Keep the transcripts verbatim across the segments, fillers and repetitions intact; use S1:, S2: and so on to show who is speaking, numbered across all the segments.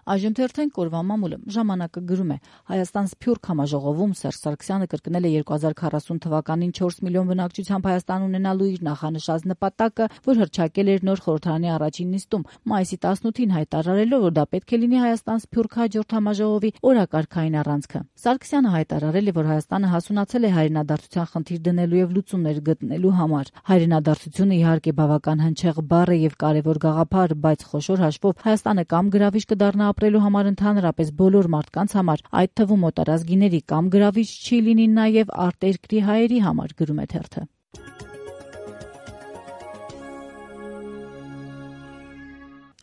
S1: Այժմ թերթեն կորվա մամուլը ժամանակը գրում է. Հայաստան Սփյուռք համաժողովում Սերժ Սարգսյանը կրկնել է երկու հազար քառասուն թվականին չորս միլիոն բնակչությամբ Հայաստան ունենալու իր նախանշած նպատակը, որ հռչակել էր նոր խորհրդարանի առաջին նիստում, մայիսի տասնութին հայտարարելով, որ դա պետք է լինի Հայաստան Սփյուռք հաջորդ համաժողովի օրակարգային առանցքը։ Սարգսյանը հայտարարել է, որ Հայաստանը հասունացել է հայրենադարձության խնդիր դնելու եւ լուծումներ գտնելու համար։ Հայրենադարձությունը իհարկե բավական հնչեղ բառ է եւ կարեւոր գաղափար, բայց խոշոր հաշվով Հայաստանը կամ գրավիչ կդառնա ապրելու համար ընդհանրապես բոլոր մարդկանց համար, այդ թվում օտարազգիների, կամ գրավիչ չի լինի նաեւ արտերկրի հայերի համար, գրում է թերթը։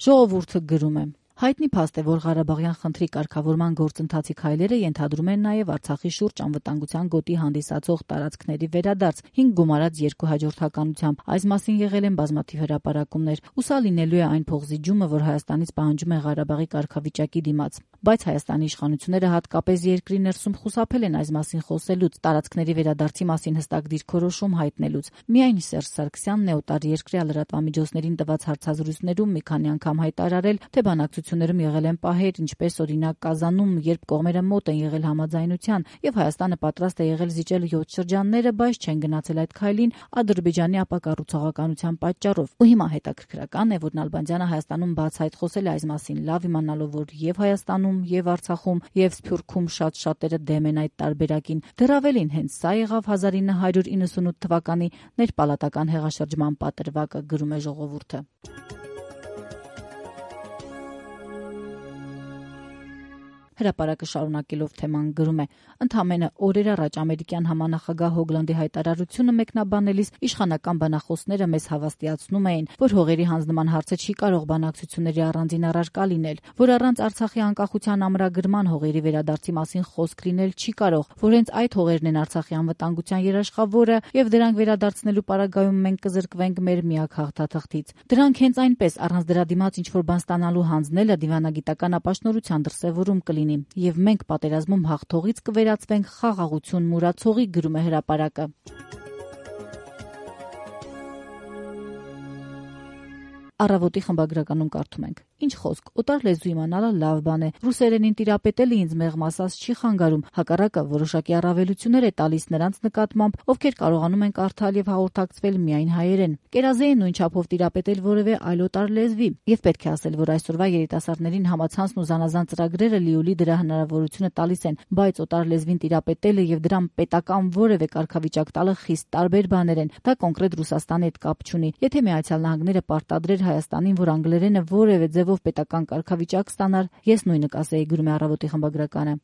S1: Ժողովուրդը գրում է. Հայտնի փաստ է, որ Ղարաբաղյան խնդրի կարգավորման գործընթացի քայլերը ենթադրում են նաև Արցախի շուրջ անվտանգության գոտի հանդիսացող տարածքների վերադարձ հինգ գումարած երկու հաջորդականությամբ։ Այս մասին եղել են բազմաթիվ հրապարակումներ, ու սա լինելու է այն փոխզիջումը, որ Հայաստանից պահանջում է Ղարաբաղի կարգավիճակի դիմաց։ Բայց Հայաստանի իշխանությունները հատկապես երկրի ներսում խուսափել են այս մասին խոսելուց, տարածքների վերադարձի մասին հստակ դիրքորոշում հայտնելուց։ Միայն Սերժ Սարգսյանն է օտարերկրյա լրատվամիջոցներին տված հարցազրույցներում մի քանի անգամ հայտարարել, թե բանակցություններում եղել են պահեր, ինչպես օրինակ Կազանում, երբ կողմերը մոտ են եղել համաձայնության, եւ Հայաստանը պատրաստ է եղել զիջել յոթ շրջանները, բայց չեն գնացել այդ քայլին Ադրբեջանի ապակառուցողականության պատճառով։ Ու հիմա հետաքրքրական է, որ Նալբանդյանը Հայաստանում բացահայտ խոսել է այս մասին, լավ իմանալով, որ եւ Հայաստանում, եւ Արցախում, եւ Սփյուռքում շատ շատերը դեմ են այդ տարբերակին։ Դեռ ավելին, հենց սա եղավ հազար ինը հարյուր իննսունութ թվականի ներպալատական հեղաշրջման պատրվակը, գրում է Ժողովուրդը։ Հրապարակը շարունակելով թեման գրում է. ընդամենը օրեր առաջ ամերիկյան համանախագահ Հոգլանդի հայտարարությունը մեկնաբանելիս իշխանական բանախոսները մեզ հավաստիացնում էին, որ հողերի հանձնման հարցը չի կարող բանակցությունների առանձին առարկա լինել, որ առանց Արցախի անկախության ամրագրման հողերի վերադարձի մասին խոսք լինել չի կարող, որ հենց այդ հողերն են Արցախի անվտանգության երաշխավորը եւ դրանք վերադարձնելու պարագայում մենք կզրկվենք մեր միակ հաղթաթղթից։ Դրանք հենց այնպես առանց դրա դիմաց ինչ-որ բան ստանալու հանձնելը դիվանագիտական ապաշնորհության դրսևորում կլինի, եւ մենք պատերազմում հաղթողից կվերածվենք խաղաղություն մուրացողի, գրում է հրապարակը։ Առավոտի խմբագրականում կարդում ենք. Ինչ խոսք, օտար լեզու իմանալը լավ բան է։ Ռուսերենին տիրապետելը ինձ մեղմ ասած չի խանգարում, հակառակը որոշակի առավելություններ է տալիս նրանց նկատմամբ, ովքեր կարողանում են կարդալ եւ հաղորդակցվել միայն հայերեն։ Կերազե է նույն չափով տիրապետել որևէ այլ օտար լեզվի, եւ պետք է ասել, որ այսօրվա երիտասարդներին համացանցն ու զանազան ծրագրերը լիոլի դրա հնարավորությունը տալիս են, բայց օտար լեզվին տիրապետելը եւ դրան պետական որևէ կարգավիճակ տալը խիստ տարբեր բաներ են։ Դա կոնկրետ Ռուսաստանի հետ կապ չունի։ Եթե Միացյալ Նահանգները պարտադրեր Հայաստանին, որ անգլերենը որևէ ձևով պետական կարգավիճակ ստանար, ես նույնը կասեի, գրում է Առավոտի խմբագրականը։